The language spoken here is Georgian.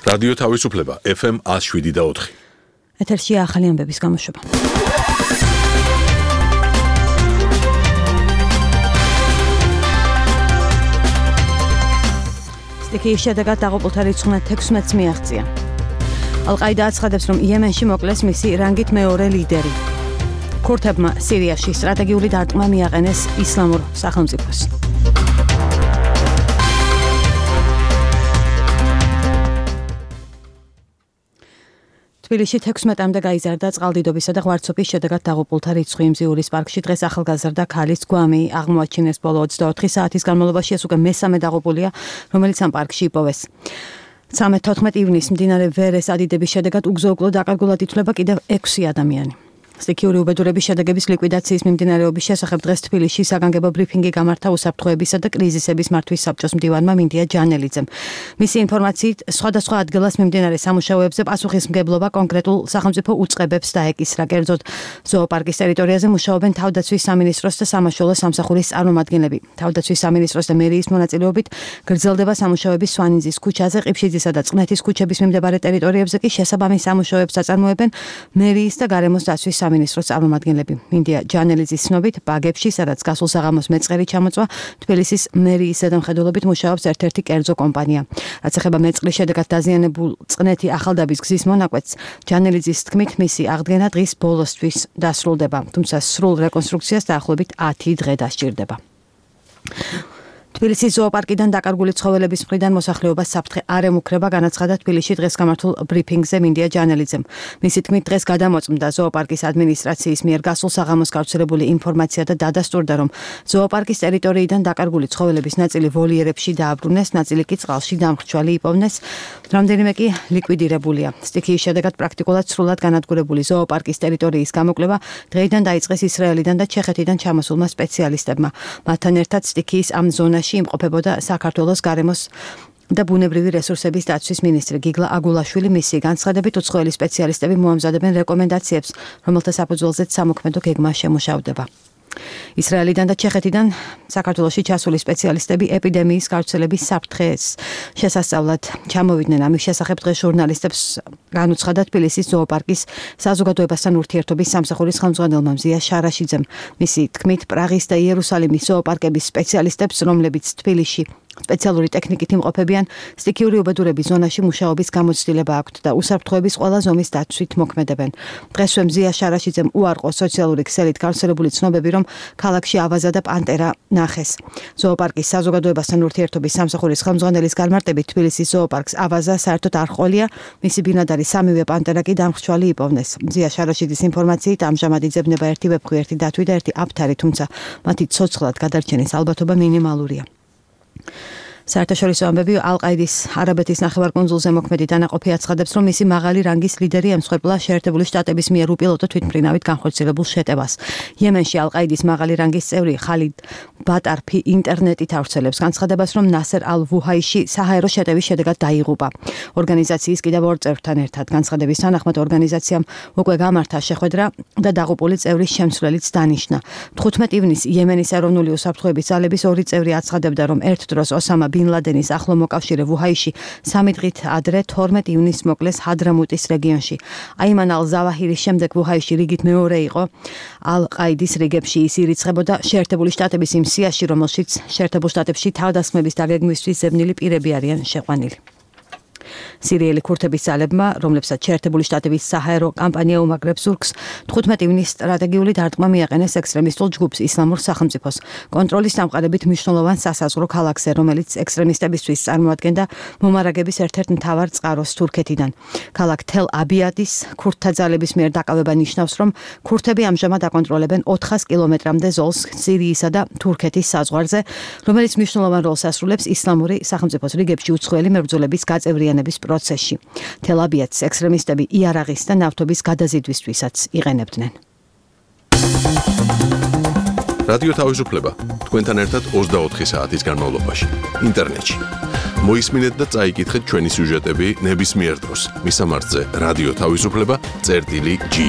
რადიო თავისუფლება FM 107.4. ეთერში ახალი ამბების გამოშვება. სტიქიის შედეგად დაღუპულთა რიცხვმა 16-ს მიაღწია. ალ-ყაიდა აცხადებს, რომ იემენში მოკლეს მისი რანგით მეორე ლიდერი. ქურთებმა სირიაში სტრატეგიული დარტყმა მიაყენეს ისლამურ სახელმწიფოს. თბილისში 16-მდე გაიზარდა წყალდიდობისა და ღვარცობის შედეგად დაღუპულთა რიცხვი. მზიურის პარკში დღეს ახალგაზრდა ქალის გვამი აღმოაჩინეს. ბოლო 24 საათის განმავლობაში ეს უკვე მესამე დაღუპულია, რომელიც ამ პარკში იპოვეს. 13-14 ივნისს მდინარე ვერეს ადიდების შედეგად უგზო-უკვლო დაკარგულად ითვლება კიდევ 6 ადამიანი. სტიქიური უბედურების შედეგების ლიკვიდაციის მიმდინარეობის შესახებ დღეს თბილისში საგანგებო ბრიფინგი გამართა უსაფრთხოებისა და კრიზისების მართვის საბჭოს მდივანმა მინდია ჯანელიძემ. მისი ინფორმაციით, სხვადასხვა ადგილას მიმდინარე სამუშაოებზე პასუხისმგებლობა კონკრეტულ სახელმწიფო უწყებებს დაეკისრა. კერძოდ, ზოოპარკის ტერიტორიაზე მუშაობენ თავდაცვის სამინისტროს და სამაშველო სამსახურის წარმომადგენლები. თავდაცვის სამინისტროს და მერიის მონაწილეობით გრძელდება სამუშაოები სვანინძის ქუჩაზე, ყიფშიძისა და წყნეთის ქუჩების მიმდებარე ტერიტორიებზე კი შესაბამის სამუშაოებს აწარმოებენ მერიის და გარემოს დაცვის სამინისტროს წარმომადგენლები. მინდია ჯანელიძის ცნობით, ბაგებში, სადაც გასულ საღამოს მეწყერი ჩამოწვა, თბილისის მერიის ზედამხედველობით მუშაობს ერთ-ერთი კერძო კომპანია. რაც ეხება მეწყრის შედეგად დაზიანებულ წყნეთი ახალდაბის გზის მონაკვეთს, ჯანელიძის თქმით, მისი აღდგენა დღის ბოლოსთვის დასრულდება, თუმცა სრულ რეკონსტრუქციას დაახლოებით 10 დღე დასჭირდება. თბილისის ზოოპარკიდან დაკარგული ცხოველების მხრიდან მოსახლეობას საფრთხე არ ემუქრება, განაცხადა თბილისში დღეს გამართულ ბრიფინგზე მინდია ჯანელიძემ. მისი თქმით, დღეს გადამოწმდა ზოოპარკის ადმინისტრაციის მიერ გასულ საღამოს გავრცელებული ინფორმაცია და დადასტურდა, რომ ზოოპარკის ტერიტორიიდან დაკარგული ცხოველების ნაწილი ვოლიერებში დააბრუნეს, ნაწილი კი წყალში დამრჩვალი იპოვნეს, რამდენიმე კი ლიკვიდირებულია. სტიქიის შედეგად პრაქტიკულად სრულად განადგურებული ზოოპარკის ტერიტორიის გამოკვლევა დღეიდან დაიწყეს ისრაელიდან და ჩეხეთიდან ჩამოსულმა სპეციალისტებმა. მათთან ერთად სტიქიის ამ ზონაში იმყოფებოდა საქართველოს გარემოს და ბუნებრივი რესურსების დაცვის მინისტრი გიგლა აგულაშვილი. მისი განცხადებით, უცხოელი სპეციალისტები მოამზადებენ რეკომენდაციებს, რომელთა საფუძველზეც სამოქმედო გეგმა შემუშავდება. ისრაელიდან და ჩეხეთიდან საქართველოში ჩასული სპეციალისტები ეპიდემიის გავრცელების საფრთხეს შესასწავლად ჩამოვიდნენ. ამის შესახებ დღეს ჟურნალისტებს განუცხადა თბილისის ზოოპარკის საზოგადოებასთან ურთიერთობის სამსახურის ხელმძღვანელმა მზია შარაშიძემ. მისი თქმით, პრაღის და იერუსალიმის ზოოპარკების სპეციალისტებს, რომლებიც თბილისში სპეციალური ტექნიკით იმყოფებიან, სტიქიური უბედურების ზონაში მუშაობის გამოცდილება აქვთ და უსაფრთხოების ყველა ზომის დაცვით მოქმედებენ. დღესვე მზია შარაშიძემ უარყო სოციალური ქსელით გავრცელებული ცნობები, რომ ქალაქში ავაზა და პანტერა ნახეს. ზოოპარკის საზოგადოებასთან ურთიერთობის სამსახურის ხელმძღვანელის განმარტებით, თბილისის ზოოპარკს ავაზა საერთოდ არ ჰყოლია, მისი ბინადარი სამივე პანტერა კი დამრჩვალი იპოვნეს. მზია შარაშიძის ინფორმაციით, ამჟამად იძებნება ერთი ვეფხვი, ერთი დათვი და ერთი აფთარი, თუმცა მათი ცოცხლად გადარჩენის ალბათობა მინიმალურია. საერთაშორისო ამბები ალ-ყაიდის არაბეთის ნახევარკუნძულზე მოქმედი დანაყოფი აცხადებს, რომ მისი მაღალი რანგის ლიდერი ემსხვერპლა შეერთებული შტატების მიერ უპილოტო თვითმფრინავით განხორციელებულ შეტევას. იემენში ალ-ყაიდის მაღალი რანგის წევრი ხალიდ ბატარფი ინტერნეტით ავრცელებს განცხადებას, რომ ნასერ ალ-ვუჰაიში საჰაერო შეტევის შედეგად დაიღუპა. ორგანიზაციის კიდევ 2 წევრთან ერთად განცხადების თანახმად ორგანიზაციამ უკვე გამართა შეხვედრა და დაღუპული წევრის შემცვლელიც დანიშნა. 15 ივნისს იემენის ეროვნული უსაფრთხოების ძალების 2 წევრი აცხადებდა, რომ ერთ დროს ოსამა ბინ ლადენის ახლო მოკავშირე ვუჰაიში 3 დღით ადრე 12 ივნისს მოკლეს ჰადრამუტის რეგიონში. აიმან ალ-ზავაჰირის შემდეგ ვუჰაიში რიგით მეორე იყო ალ-ყაიდის რიგებში. ის ირიცხებოდა შეერთებული შტატების იმ სიაში, რომელშიც შეერთებულ შტატებში თავდასხმების დაგეგმვისთვის ზებნილი პირები არიან შეყვანილი. სირიელი ქურთების ძალებმა, რომლებსაც შეერთებული შტატების საჰაერო კამპანია უმაგრებს ზურგს, 15 ივნისს სტრატეგიული დარტყმა მიაყენეს ექსტრემისტულ ჯგუფს ისლამურ სახელმწიფოს კონტროლის დამყარებით მნიშვნელოვან სასაზღვრო ქალაქზე, რომელიც ექსტრემისტებისთვის წარმოადგენდა მომარაგების ერთ-ერთ მთავარ წყაროს თურქეთიდან. ქალაქ თელ-აბიადის ქურთთა ძალების მიერ დაკავება ნიშნავს, რომ ქურთები ამჟამად აკონტროლებენ 400 კილომეტრამდე ზოლს სირიისა და თურქეთის საზღვარზე, რომელიც მნიშვნელოვან როლს ასრულებს ისლამური სახელმწიფოს რიგებში უცხოელი მებრძოლების გაწევრიანების პროცესში. თელ-აბიადს ექსტრემისტები იარაღის და ნავთობის გადაზიდვისთვისაც იყენებდნენ. რადიო თავისუფლება თქვენთან ერთად 24 საათის განმავლობაში ინტერნეტში. მოისმინეთ და წაიკითხეთ ჩვენი სიუჟეტები ნებისმიერ დროს. მისამართზე რადიო თავისუფლება.gi